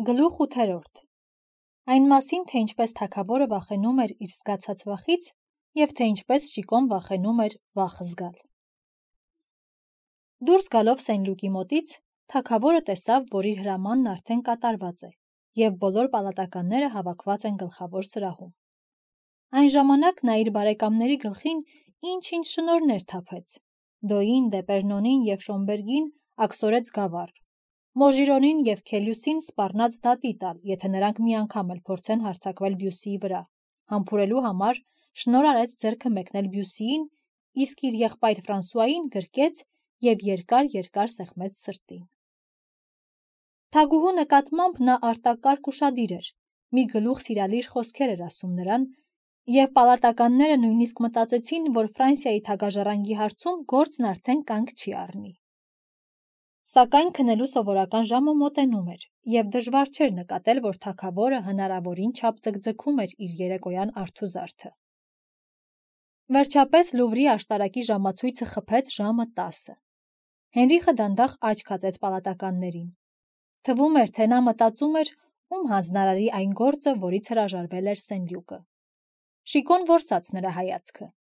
Գլուխ 8. Այն մասին, թե ինչպես թագավորը վախենում էր իր զգացած վախից և թե ինչպես Շիկոն վախենում էր վախ զգալ։ Դուրս գալով Սենլուկի մոտից, թագավորը տեսավ, որ իր հրամանն արդեն կատարված է և բոլոր պալատականները հավաքված են գլխավոր սրահում։ Այն ժամանակ նա իր բարեկամների գլխին ինչ-ինչ շնորհներ թափեց, Դոյին, Դեպերնոնին և Շոմբերգին աքսորեց գավառ, Մոժիրոնին և Քելյուսին սպառնաց դատի տալ, եթե նրանք մի անգամ էլ փորձեն հարձակվել Բյուսիի վրա, համբուրելու համար շնորհ արեց ձեռքը մեկնել Բյուսիին, իսկ իր եղբայր Ֆրանսուային գրկեց և երկար սեղմեց սրտին։ Թագուհու նկատմամբ նա արտակարգ ուշադիր էր, մի գլուխ սիրալիր խոսքեր էր ասում նրան, և պալատականները նույնիսկ մտածեցին, որ Ֆրանսիայի թագաժառանգի հարցում գործն արդեն կանգ չի առնի։ Սակայն քնելու սովորական ժամը մոտենում էր, և դժվար չէր նկատել, որ թագավորը հնարավորին չափ ձգձգում էր իր երեկոյան արթուզարդը։ Վերջապես Լուվրի աշտարակի ժամացույցը խփեց ժամը 10։ Հենրիխը դանդաղ աչք հացեց պալատականներին։ Թվում էր, թե նա մտածում էր, ում հանձնարարի այն գործը, որից հրաժարվել էր Սենլյուկը։ Շիկոն որսաց նրա հայացքը։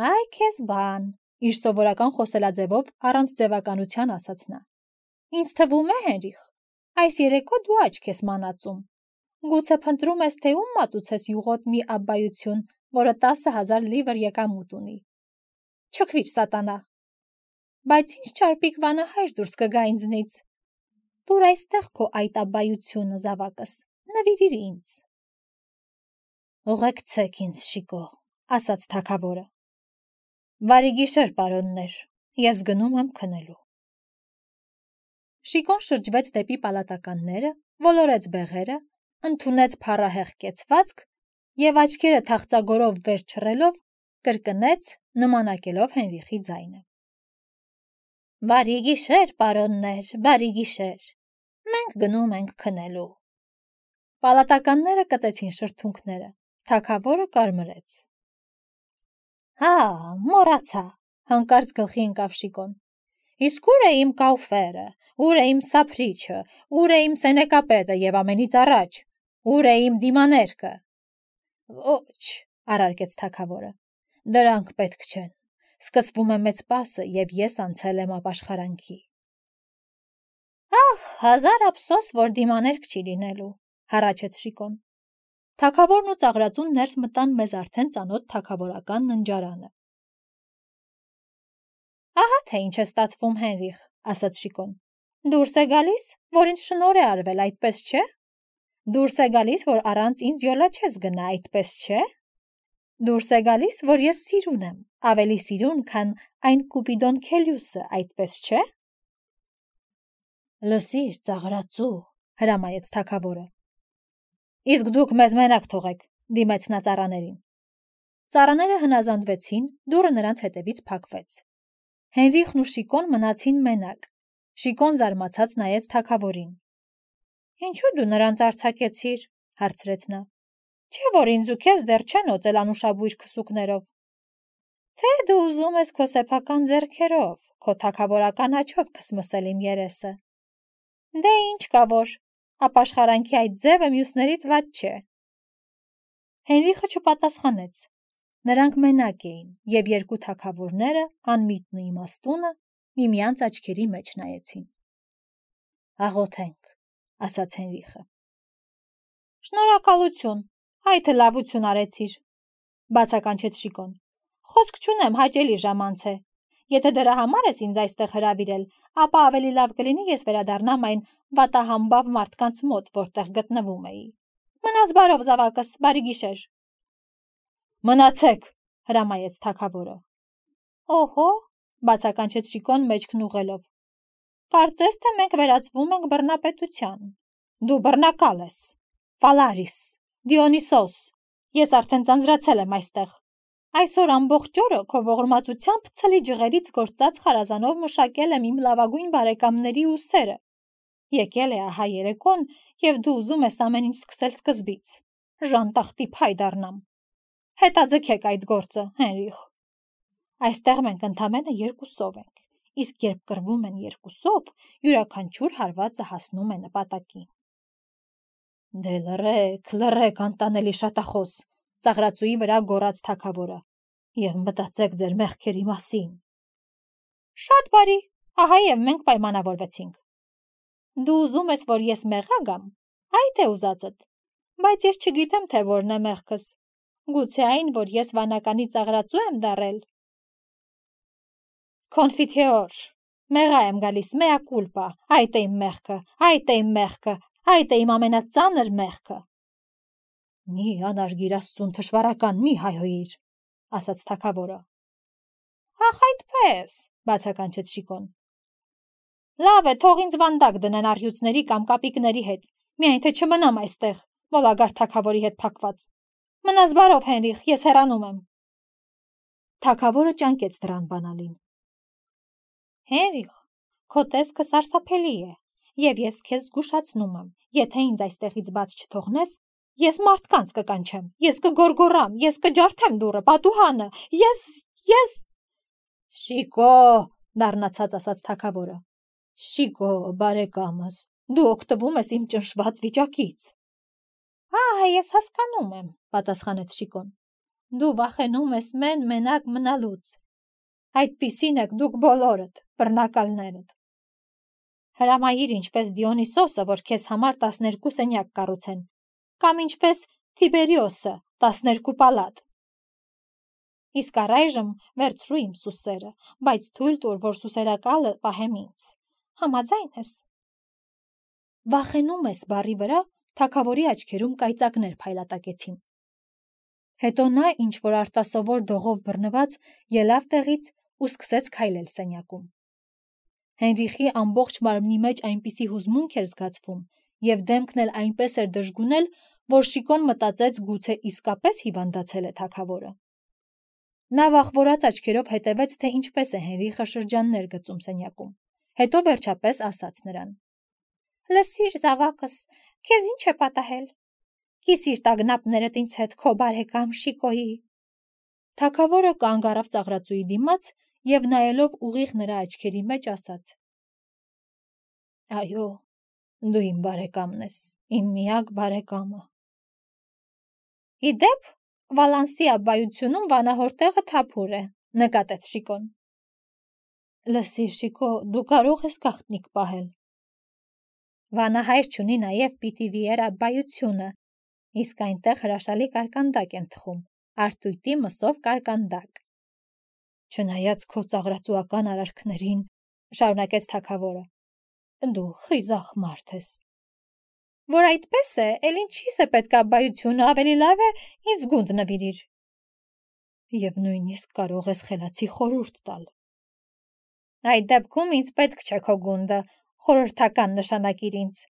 «Այ քեզ բան», իր սովորական խոսելաձևով առանց ձևականության ասաց նա։ «Ինձ թվում է, Հենրիխ, այս երեկո դու աչք ես մանածում։ Գուցե փնտրում ես, թե ում մատուցես յուղոտ մի աբբայություն, որը 10,000 լիվր եկամուտ ունի։ Չքվիր, սատանա։ Բայց ինչ չարպիկ վանահայր դուրս կգա ինձնից։ Տուր այստեղ քո այդ աբբայությունը, զավակս, նվիրիր ինձ»։ «Ուղեկցեք ինձ, Շիկո», ասաց թագավորը։ «Բարի գիշեր, պարոններ, ես գնում եմ քնելու»։ Շիկոն շրջվեց դեպի պալատականները, ոլորեց բեղերը, ընդունեց փառահեղ կեցվածք և աչքերը թախծագորով վեր չռելով կրկնեց, նմանակելով Հենրիխի ձայնը. «Բարի գիշեր, պարոններ, բարի գիշեր, մենք գնում ենք քնելու»։ Պալատականները կծեցին շրթունքները, թագավորը կարմրեց։ «Հա, մոռացա», հանկարծ գլխի ընկավ Շիկոն։ «Իսկ ուր է իմ կաուֆերը, ուր է իմ սափրիչը, ուր է իմ սենեկապետը և ամենից առաջ, ուր է իմ դիմաներկը»։ «Ոչ», առարկեց թագավորը, «դրանք պետք չեն, սկսվում է մեծ պասը, և ես անցել եմ ապաշխարանքի»։ «Ահ, հազար ափսոս, որ դիմաներկ չի լինելու», հառաչեց Շիկոն։ Թագավորն ու ծաղրածուն ներս մտան մեզ արդեն ծանոթ թագավորական ննջարանը։ «Ահա թե ինչ է ստացվում, Հենրիխ», ասաց Շիկոն։ «Դուրս է գալիս, որ ինձ շնորհ է արվել, այդպես չէ։ Դուրս է գալիս, որ առանց ինձ յոլա չես գնա, այդպես չէ։ Դուրս է գալիս, որ ես սիրուն եմ, ավելի սիրուն, քան այն Կուպիդոն Քելյուսը, այդպես չէ»։ «Լսիր, ծաղրածու», հրամայեց թագավորը։ «Իսկ դուք մեզ մենակ թողեք», դիմեց նա ծառաներին։ Ծառաները հնազանդվեցին, դուռը նրանց հետևից փակվեց։ Հենրիխն ու Շիկոն մնացին մենակ։ Շիկոն զարմացած նայեց թագավորին։ «Ինչու դու նրանց արձակեցիր», հարցրեց նա։ «Չէ՞ որ ինձ ու քեզ դեռ չեն օծել անուշաբույր քսուկներով։ Թե դու ուզում ես քո սեփական ձեռքերով, քո թագավորական աջով քսմսել իմ երեսը։ Դե ինչ կա որ, ապաշխարանքի այդ ձևը մյուսներից վատ չէ»։ Հենրիխը չպատասխանեց։ Նրանք մենակ էին, և երկու թագավորները, անմիտն ու իմաստունը, միմյանց աչքերի մեջ նայեցին։ «Աղոթենք», ասաց Հենրիխը։ «Շնորհակալություն, այ թե լավություն արեցիր», բացականչեց Շիկոն։ «Խոսք չունեմ, հաճելի ժամանց է։ Եթե դրա համար ես ինձ այստեղ հրավիրել, ապա ավելի լավ կլինի ես վերադառնամ այն վատահամբավ մարդկանց մոտ, որտեղ գտնվում էի։ Մնաս բարով, զավակս, բարի գիշեր»։ «Մնացեք», հրամայեց թագավորը։ «Օհո», բացականչեց Շիկոն մեջքն ուղղելով։ «Կարծես թե մենք վերածվում ենք բռնապետության։ Դու բռնակալ ես։ Ֆալարիս, Դիոնիսոս, ես արդեն ձանձրացել եմ այստեղ։ Այսօր ամբողջ օրը քո ողորմածությամբ ցլի ջղերից գործած խարազանով մշակել եմ իմ լավագույն բարեկամների ուսերը։ Եկել է ահա երեկոն, և դու ուզում ես ամեն ինչ սկսել սկզբից։ Ժանտախտի փայ դառնամ։ Հետաձգեք այդ գործը, Հենրիխ։ Այստեղ մենք ընդամենը երկուսով ենք, իսկ երբ կռվում են երկուսով, յուրաքանչյուր հարվածը հասնում է նպատակին։ Դե լռեք, անտանելի շատախոս, ծաղրածուի վրա գոռաց թագավորը, եւ մտածեք ձեր մեղքերի մասին։ Շատ բարի, ահա եւ մենք պայմանավորվեցինք։ Դու ուզում ես, որ ես մեղա գամ, այդ է ուզածդ, բայց ես չգիտեմ, թե որն է մեղքս, գուցե այն, որ ես վանականի ծաղրածու եմ դառել։ Կոնֆիթեոր, մեղա եմ գալիս, mea culpa, այդ է իմ մեղքը, այդ է իմ ամենածանր մեղքը։ Մի անարգիր Աստծուն թշվառական, մի հայհոյիր, ասաց թագավորը։ Ախ այդպես, բացականչեց Շիկոն։ Լավ է, թող ինձ վանդակ դնեն առյուծների կամ կապիկների հետ, միայն թե չմնամ այստեղ, մոլագար թագավորի հետ փակված։ Մնաս բարով, Հենրիխ, ես հեռանում եմ։ Թագավորը ճանկեց դրան բանալին։ Հենրիխ, քո տեսքը սարսափելի է, եւ ես քեզ զգուշացնում եմ, եթե ինձ այստեղից բաց չթողնես, ես մարդկանց կկանչեմ, ես կգորգորամ, ես կջարդեմ դուռը, պատուհանը, ես… Շիկո, դառնացած ասաց թագավորը։ Շիկո, բարեկամս, դու օգտվում ես իմ ճնշված վիճակից։ Ահա, ես հասկանում եմ, պատասխանեց Շիկոն։ Դու վախենում ես մենակ մնալուց։ Այդպիսին եք դուք բոլորդ, բռնակալներդ։ Հրամայիր ինչպես Դիոնիսոսը, որ քեզ համար 12 սենյակ կառուցեն, կամ ինչպես Թիբերիոսը 12 պալատ։ Իսկ առայժմ վերցրու իմ սուսերը, բայց թույլ տուր, որ սուսերակալը պահեմ ինձ։ Համաձայն ես։ Վախենում ես բառի վրա թագավորի աչքերում կայծակներ փայլատակեցին։ Հետո նա ինչ-որ արտասովոր դողով բռնված ելավ տեղից ու սկսեց քայլել սենյակում։ Հենրիխի ամբողջ մարմնի մեջ այնպիսի հուզմունք էր զգացվում եւ դեմքն էլ այնպես էր դժգունել, որ Շիկոն մտածեց գուցե իսկապես հիվանդացել է թագավորը։ Նա վախվորած աչքերով հետևեց, թե ինչպես է Հենրիխը շրջաններ գծում սենյակում։ Հետո վերջապես ասաց նրան. Լսիր, զավակս, քեզ ինչ է պատահել։ Կիսիր տագնապներդ ինձ հետ քո բարեկամ Շիկոյի։ Թագավորը կանգ առավ ծաղրածուի դիմաց եւ նայելով ուղիղ նրա աչքերի մեջ ասաց. Այո, դու իմ բարեկամն ես, իմ միակ բարեկամը։ Իդեպ, Վալանսի աբբայությունում վանահոր տեղը թափուր է, նկատեց Շիկոն։ Լսիր, Շիկո, դու կարող ես գաղտնիք պահել։ Վանահայր չունի նաև Պիտիվիեր աբբայությունը, իսկ այնտեղ հրաշալի կարկանդակ են թխում, արտույտի մսով կարկանդակ։ Չնայած քո ծաղրածուական արարքներին, շարունակեց թագավորը, դու խիզախ մարդ ես։ Որ այդպես է, էլ ինչի՞ս է պետք աբբայությունը, ավելի լավ է ինձ գունդ նվիրիր։ Եվ նույնիսկ կարող ես խելացի խորհուրդ տալ։ Այդ դեպքում ինձ պետք չէ քո գունդը, խորհրդական նշանակիր ինձ,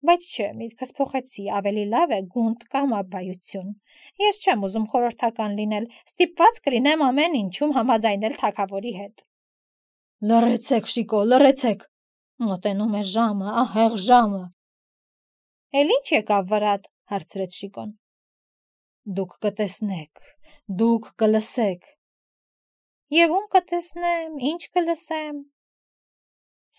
բայց չէ, միտքս փոխեցի, ավելի լավ է գունդ կամ աբբայություն։ Ես չեմ ուզում խորհրդական լինել, ստիպված կլինեմ ամեն ինչում համաձայնել թագավորի հետ։ Լռեցեք, Շիկո, լռեցեք։ Մոտենում է ժամը, ահեղ ժամը։ Էլ ինչ եկավ վրատ, հարցրեց Շիկոն։ Դուք կտեսնեք, դուք կլսեք։ Եվ ում կտեսնեմ, ինչ կլսեմ։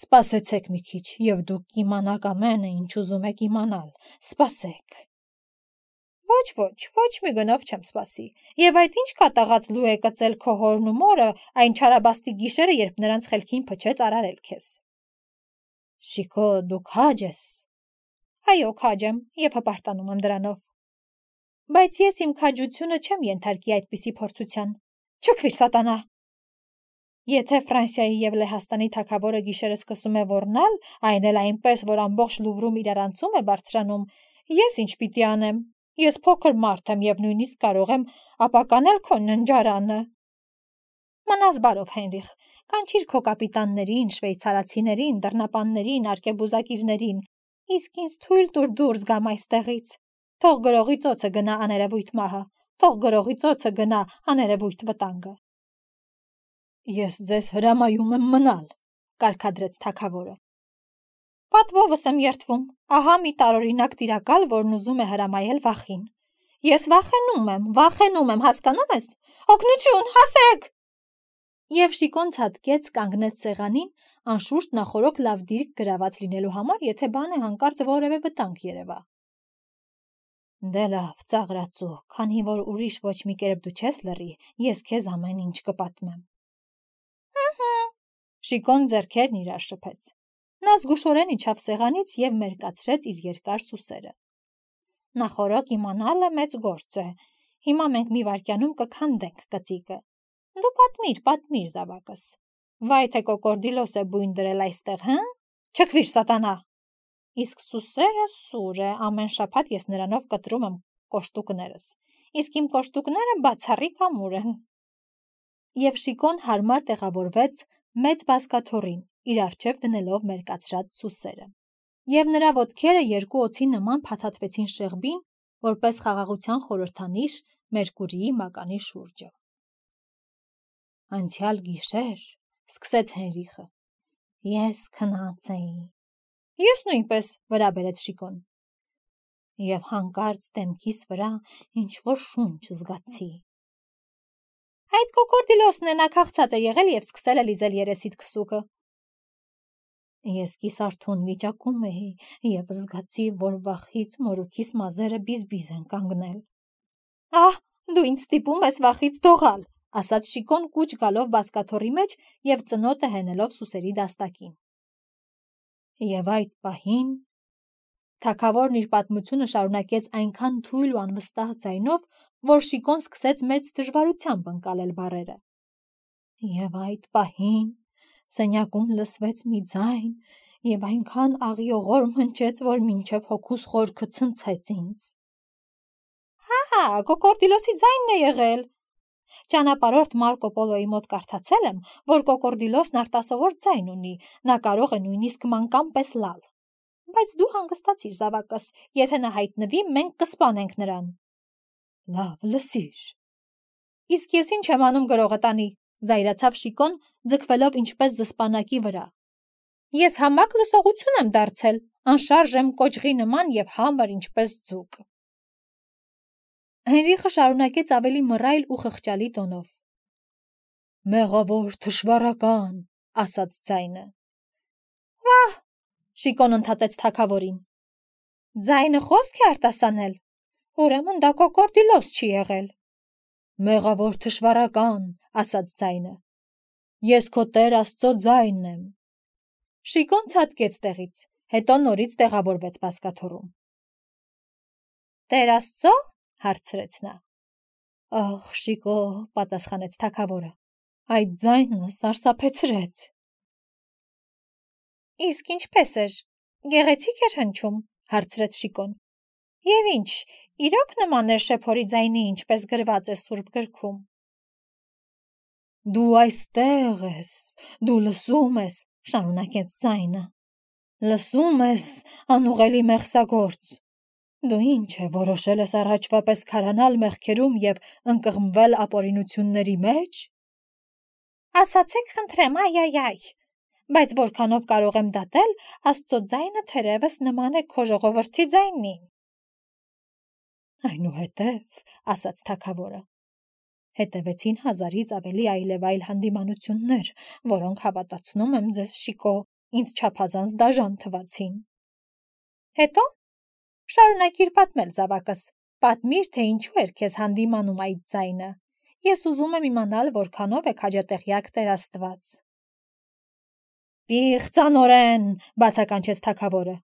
Սպասեցեք մի քիչ, եւ դուք կիմանաք ամենը, ինչ ուզում եք իմանալ։ Սպասեք։ Ոչ մի գնով չեմ սպասի։ Եվ այդ ինչ կատաղած լու է կծել քո հորն ու մորը այն չարաբաստիկ գիշերը, երբ նրանց խելքին փչեց արարել քեզ։ Շիկո, դու քաջ ես։ Այո, քաջ եմ եւ հպարտանում եմ դրանով։ Բայց ես իմ քաջությունը չեմ ենթարկի այդպիսի փորձության։ Չքվիր, սատանա։ Եթե Ֆրանսիայի եւ Լեհաստանի թագավորը գիշերը սկսում է ոռնալ, այն էլ այնպես, որ ամբողջ Լուվրում իրարանցում է բարձրանում, ես ինչ պիտի անեմ։ Ես փոքր մարդ եմ եւ նույնիսկ կարող եմ ապականել քո ննջարանը։ Մնաս բարով, Հենրիխ, կանչիր քո կապիտաններին, շվեյցարացիներին, դռնապաններին, արկեբուզակիրներին, իսկ ինձ թույլ տուր դուրս գամ այստեղից։ Թող գրողի ծոցը գնա աներևույթ մահը, թող գրողի ծոցը գնա աներևույթ վտանգը։ Ես ձեզ հրամայում եմ մնալ, կարգադրեց թագավորը։ Պատվովս եմ երդվում, ահա մի տարօրինակ տիրակալ, որն ուզում է հրամայել վախին։ Ես վախենում եմ, հասկանում ես։ Օգնություն, հասեք։ Եվ Շիկոն ցատկեց կանգնեց սեղանին, անշուշտ նախորոք լավ դիրք գրաված լինելու համար, եթե բանը հանկարծ որևէ վտանգ երևա։ Դե լավ, ծաղրածու, քանի որ ուրիշ ոչ մի կերպ դու չես լռի, ես քեզ ամեն ինչ կպատմեմ։ Շիկոն ձեռքերն իրար շփեց։ Նա զգուշորեն իջավ սեղանից եւ մերկացրեց իր երկար սուսերը։ Նախորոք իմանալը մեծ գործ է։ Հիմա մենք մի վայրկյանում կքանդենք կծիկը։ Դու պատմիր, զավակս։ Վայ թե կոկորդիլոս է բույն դրել այստեղ, հա? Չքվիր, սատանա։ Իսկ սուսերը սուր է, ամեն շաբաթ ես նրանով կտրում եմ կոշտուկներս։ Իսկ իմ կոշտուկները բացառիկ ամուր են։ Եվ Շիկոն հարմար տեղավորվեց մեծ բազկաթոռին, իր առջև դնելով մերկացրած սուսերը։ Եվ նրա ոտքերը երկու օձի նման փաթաթվեցին շեղբին, որպես խաղաղության խորհրդանիշ Մերկուրիի մականի շուրջը։ Անցյալ գիշեր, սկսեց Հենրիխը, ես քնած էի։ Ես նույնպես, վրա բերեց Շիկոն։ Եվ հանկարծ դեմքիս վրա ինչ-որ շունչ զգացի։ Այդ կոկորդիլոսն է, նա քաղցած է եղել եւ սկսել է լիզել երեսիդ քսուկը։ Ես կիսարթուն վիճակում էի եւ զգացի, որ վախից մորուքիս մազերը բիզբիզ են կանգնել։ Ահ, դու ինձ ստիպում ես վախից դողալ, ասաց Շիկոն կուչ գալով բազկաթոռի մեջ եւ ծնոտը հենելով սուսերի դաստակին։ Եվ այդ պահին թագավորն իր պատմությունը շարունակեց այնքան թույլ ու անվստահ ձայնով, որ Շիկոն սկսեց մեծ դժվարությամբ ընկալել բառերը։ Եվ այդ պահին սենյակում լսվեց մի ձայն եւ այնքան աղիողոր մնչեց, որ մինչև հոգուս խորքը ցնցեց ինձ։ Հա, կոկորդիլոսի ձայնն է եղել։ Ճանապարհորդ Մարկո Պոլոյի մոտ կարդացել եմ, որ կոկորդիլոսն արտասովոր ձայն ունի, նա կարող է նույնիսկ մանկան պես լալ։ Բայց դու հանգստացիր, զավակս, եթե նա հայտնվի, մենք կսպանենք նրան։ Լավ, լսիր։ Իսկ ես ինչ եմ անում գրողը տանի, զայրացավ Շիկոն, ձգվելով ինչպես զսպանակի վրա։ Ես համակ լսողություն եմ դարձել, անշարժ եմ կոճղի նման եւ համր ինչպես ձուկ։ Հենրիխը շարունակեց ավելի մռայլ ու խղճալի տոնով. Մեղավոր թշվառական, ասաց ձայնը։ Վահ, Շիկոն ընդհատեց թագավորին։ Ձայնը խոսք է արտասանել։ Ուրեմն դա կոկորդիլոս չի եղել։ Մեղավոր թշվառական, ասաց ձայնը։ Ես քո Տեր Աստծո ձայնն եմ։ Շիկոն ցատկեց տեղից, հետո նորից տեղավորվեց բազկաթոռում։ Տեր Աստծո, հարցրեց նա։ Ահ, Շիկո, պատասխանեց թագավորը, այդ ձայնը սարսափեցրեց։ Իսկ ինչպես էր, գեղեցիկ էր հնչում, հարցրեց Շիկոն։ Եվ ինչ, իրոք նման էր շեփորի ձայնի, ինչպես գրված է Սուրբ գրքում։ Դու այստեղ ես, դու լսում ես, շարունակեց ձայնը։ Լսում ես, անուղելի մեղսագործ։ Դու ինչ է, որոշել ես առաջվա պես քարանալ մեղքերում եւ ընկղմվել ապօրինությունների մեջ։ Ասացեք, խնդրեմ, այ, բայց որքանով կարող եմ դատել, Աստծո ձայնը թերևս նման է քո ժողովրդի ձայնին։ Այնուհետև, ասաց թագավորը, հետևեցին 1000-ից ավելի այլևայլ հանդիմանություններ, որոնք հավատացնում եմ ձեզ, Շիկո, ինձ չափազանց դաժան թվացին։ Հետո շարունակիր պատմել, զավակս, պատմիր, թե ինչու էր քեզ հանդիմանում այդ ձայնը։ Ես ուզում եմ իմանալ, որքանով է քաջատեղյակ Տեր Աստված։ Պիղծանորեն, բացականչեց թագավորը։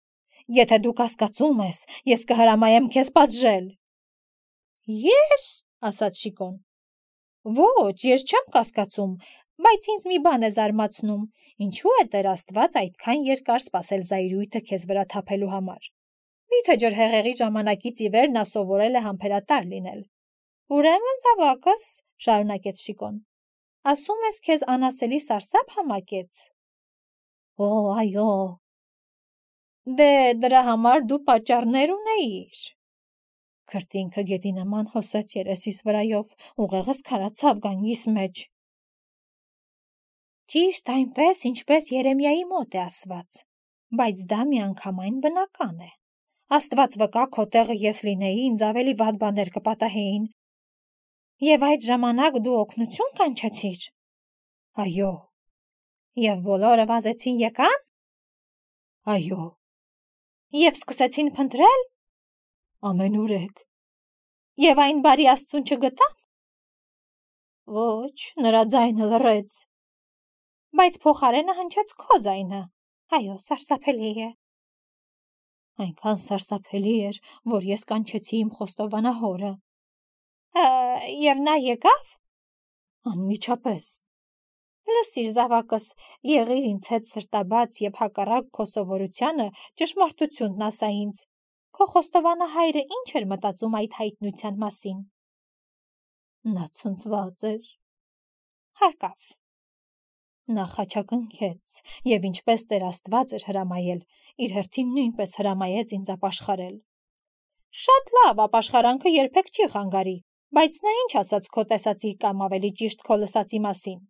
Եթե դու կասկածում ես, ես կհրամայեմ քեզ պատժել։ Ես, ասաց Շիկոն։ Ոչ, ես չեմ կասկածում, բայց ինձ մի բան է զարմացնում, ինչու է Տեր Աստված այդքան երկար սպասել զայրույթը քեզ վրա թափելու համար։ Միթե ջրհեղեղի ժամանակից ի վեր նա սովորել է համբերատար լինել։ Ուրեմն, զավակս, շարունակեց Շիկոն, ասում ես քեզ անասելի սարսափ համակեց։ Օ, այո։ Դե դրա համար դու պատճառներ ունեիր։ Քրտինքը գետի նման հոսեց երեսիս վրայով, ուղեղս քարացավ գանգիս մեջ։ Ճիշտ այնպես, ինչպես Երեմիայի մոտ է ասված, բայց դա միանգամայն բնական է։ Աստված վկա, քո տեղը ես լինեի, ինձ ավելի վատ բաներ կպատահեին։ Եվ այդ ժամանակ դու օգնություն կանչեցիր։ Այո։ Եվ բոլորը վազեցին եկան։ Այո։ Եվ սկսեցին փնտրել։ Ամենուրեք։ Եվ այն բարի Աստծուն չգտան։ Ոչ, նրա ձայնը լռեց։ Բայց փոխարենը հնչեց քո ձայնը։ Այո, սարսափելի է։ Այնքան սարսափելի էր, որ ես կանչեցի իմ խոստովանահորը։ Եվ նա եկավ։ Անմիջապես։ Լսիր, զավակս, եղիր ինձ հետ սրտաբաց եւ հակառակ քո սովորությանը ճշմարտությունն ասա ինձ։ Քո խոստովանահայրը ինչ էր մտածում այդ հայտնության մասին։ Նա ցնցված էր։ Հարկավ։ Նա խաչակնքեց եւ ինչպես Տեր Աստված էր հրամայել, իր հերթին նույնպես հրամայեց ինձ ապաշխարել։ Շատ լավ, ապաշխարանքը երբեք չի խանգարի, բայց նա ինչ ասաց քո տեսածի կամ ավելի ճիշտ քո լսածի մասին։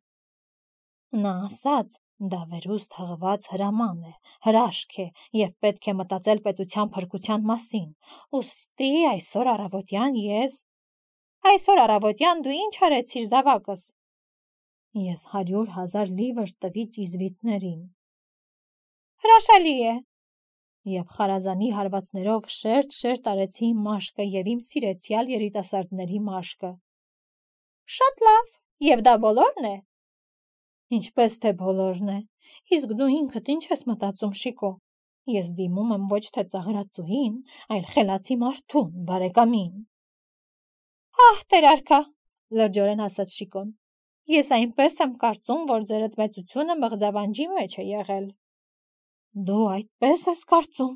Նա ասաց, դա վերուստ հղված հրաման է, հրաշք է եւ պետք է մտածել պետության փրկության մասին։ Ուստի այսօր առավոտյան դու ինչ արեցիր, զավակս։ Ես 100,000 լիվր տվի ճիզվիտներին։ Հրաշալի է։ Եվ խարազանի հարվածներով շերտ արեցի իմ մաշկը եւ իմ սիրեցյալ երիտասարդների մաշկը։ Շատ լավ, եւ դա բոլորն է։ Ինչպես թե բոլորն է։ Իսկ դու ինքդ ինչ ես մտածում, Շիկո։ Ես դիմում եմ ոչ թե ծաղրածուհին, այլ խելացի մարդուն, բարեկամին։ Ահ, Տեր արքա, լրջորեն ասաց Շիկոն։ Ես այնպես եմ կարծում, որ ձերդ մեծությունը մղձավանջի մեջ է եղել։ Դու այդպես ես կարծում։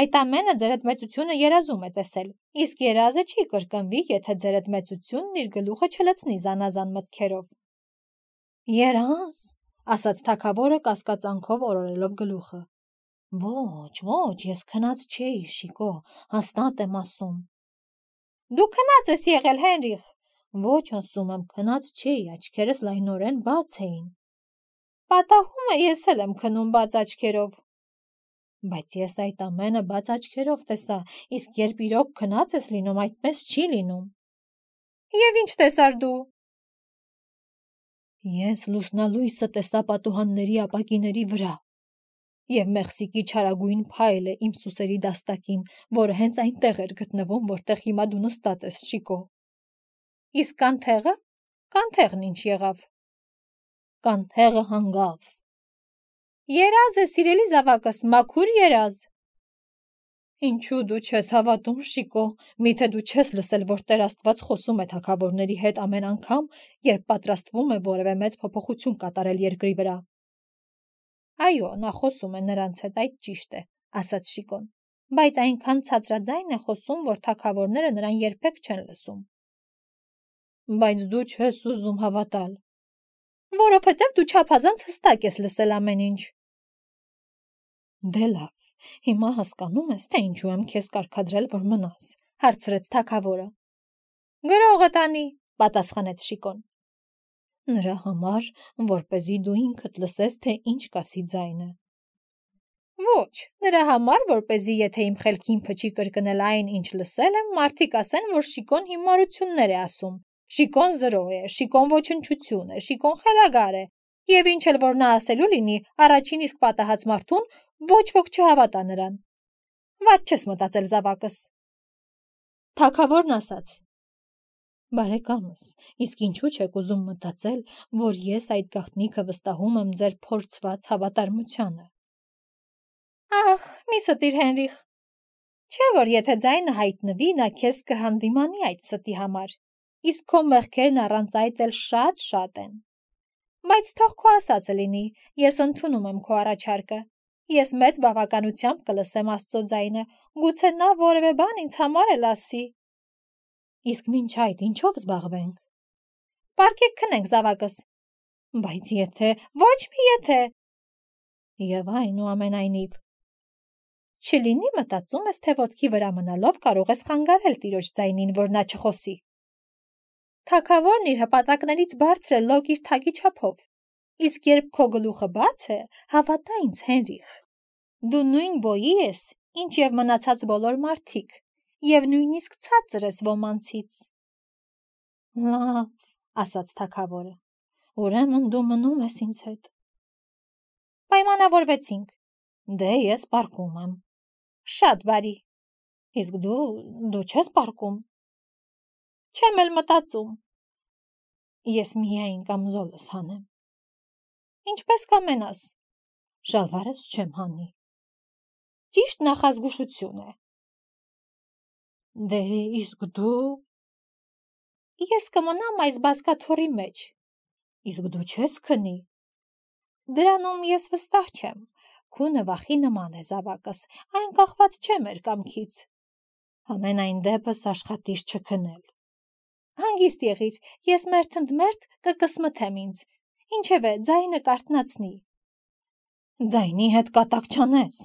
Այդ ամենը ձերդ մեծությունը երազում է տեսել, իսկ երազը չի կրկնվի, եթե ձերդ մեծությունն իր գլուխը չլցնի զանազան մտքերով։ Երազ, ասաց թագավորը կասկածանքով օրորելով գլուխը։ Ոչ, ես քնած չէի, Շիկո, հաստատ եմ ասում։ Դու քնած ես եղել, Հենրիխ։ Ոչ, ասում եմ, քնած չէի, աչքերս լայնորեն բաց էին։ Պատահում է, ես էլ եմ քնում բաց աչքերով։ Բայց ես այդ ամենը բաց աչքերով տեսա, իսկ երբ իրոք քնած ես լինում, այդպես չի լինում։ Եվ ինչ տեսար դու։ Ես լուսնալույսը տեսա պատուհանների ապակիների վրա։ Եվ Մեխսիկի չարագույն փայլը իմ սուսերի դաստակին, որը հենց այնտեղ էր գտնվում, որտեղ հիմա դու նստած ես, Շիկո։ Իսկ կանթեղը։ Կանթեղն ինչ եղավ։ Կանթեղը հանգավ։ Երազ է, սիրելի զավակս, մաքուր երազ։ Ինչու դու չես հավատում, Շիկո, միթե դու չես լսել, որ Տեր Աստված խոսում է թագավորների հետ ամեն անգամ, երբ պատրաստվում է որևէ մեծ փոփոխություն կատարել երկրի վրա։ Այո, նա խոսում է նրանց հետ, այդ ճիշտ է, ասաց Շիկոն, բայց այնքան ցածրաձայն է խոսում, որ թագավորները նրան երբեք չեն լսում։ Բայց դու չես ուզում հավատալ։ Որովհետև դու չափազանց հստակ ես լսել ամեն ինչ։ Դե լավ, հիմա հասկանում ես, թե ինչու եմ քեզ կարգադրել, որ մնաս, հարցրեց թագավորը։ Գրողը տանի, պատասխանեց Շիկոն։ Նրա համար, որպեսզի դու ինքդ լսես, թե ինչ կասի ձայնը։ Ոչ, նրա համար, որպեսզի եթե իմ խելքին փչի կրկնել այն, ինչ լսել եմ, մարդիկ ասեն, որ Շիկոն հիմարություններ է ասում։ Շիկոն զրո է, Շիկոն ոչնչություն է, Շիկոն խելագար է, եւ ինչ էլ որ նա ասելու լինի, առաջին իսկ պատահած մարդուն ոչ ոք չհավատա նրան։ Վատ չես մտածել, զավակս։ Թագավորն ասաց. Բարեկամս, իսկ ինչու չեք ուզում մտածել, որ ես այդ գաղտնիքը վստահում եմ ձեր փորձված հավատարմությանը։ Ախ, մի ստիր, Հենրիխ։ Չէ՞ որ եթե ձայնը հայտնվի, նա քեզ կհանդիմանի այդ ստի համար, իսկ քո մեղքերն առանց այդ էլ շատ են։ Բայց թող քո ասածը լինի, ես ընդունում եմ քո առաջարկը։ Ես մեծ բավականությամբ կլսեմ Աստծո ձայնը, գուցե նա որևէ բան ինձ համար էլ ասի։ Իսկ մինչ այդ ինչով զբաղվենք։ Պարկեք քնենք, զավակս։ Բայց եթե, ոչ մի եթե։ Եվ այնուամենայնիվ։ Չլինի մտածում ես, թե ոտքի վրա մնալով կարող ես խանգարել տիրոջ ձայնին, որ նա չխոսի։ Թագավորն իր հպատակներից բարձր է լոկ իր թագի չափով։ Իսկ երբ քո գլուխը բաց է, հավատա ինձ, Հենրիխ, դու նույն բոյի ես, ինչ եւ մնացած բոլոր մարդիկ, եւ նույնիսկ ցածր ես ոմանցից։ Լավ, ասաց թագավորը, Ուրեմն դու մնում ես ինձ հետ։ Պայմանավորվեցինք։ Դե ես պառկում եմ։ Շատ բարի։ Իսկ դու չես պառկում։ Չեմ էլ մտածում։ Ես միայն կամզոլս հանեմ։ Ինչպես կամենաս։ Շալվարս չեմ հանի։ Ճիշտ նախազգուշություն է։ Դե իսկ դու։ Ես կմնամ այս բազկաթոռի մեջ։ Իսկ դու չես քնի։ Դրանում ես վստահ չեմ։ Քունը վախի նման է զավակս, այն կախված չէ մեր կամքից։ Համենայն դեպս աշխատիր չքնել։ Հանգիստ եղիր, ես մերթընդմերթ կկսմթեմ ինձ, ինչևէ ձայնը կարթնացնի։ Ձայնի հետ կատակ չանես,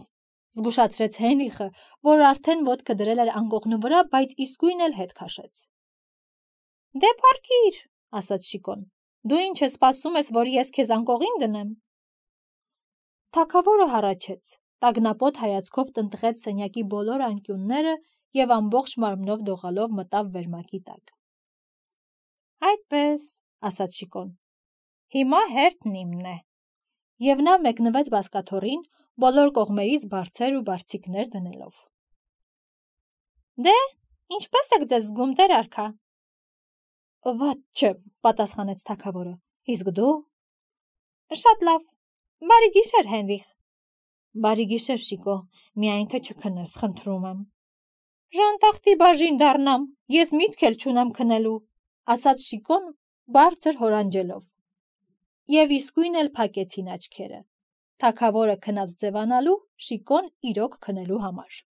զգուշացրեց Հենրիխը, որ արդեն ոտքը դրել էր անկողնու վրա, բայց իսկույն էլ հետ քաշեց։ Դե պառկիր, ասաց Շիկոն, դու ինչ ես սպասում ես, որ ես քեզ անկողին դնեմ։ Թագավորը հառաչեց, տագնապոտ հայացքով տնտղեց սենյակի բոլոր անկյունները և ամբողջ մարմնով դողալով մտավ վերմակի տակ։ Այդպես, ասաց Շիկոն, հիմա հերթն իմն է։ Եվ նա մեկնվեց բազկաթոռին, բոլոր կողմերից բարձր ու բարձիկներ դնելով։ Դե, ինչպես եք ձեզ զգում, տեր արքա։ Վատ չեմ, պատասխանեց թագավորը։ Իսկ դու։ Շատ լավ։ Բարի գիշեր, Հենրիխ։ Բարի գիշեր, Շիկո, միայն թե չքնես, խնդրում եմ։ Ժանտախտի բաժին դառնամ, ես միտք էլ չունեմ քնելու, ասաց Շիկոն բարձր հորանջելով։ Եվ իսկույն էլ փակեցին աչքերը։ Թագավորը քնած ձևանալու, Շիկոն իրոք քնելու համար։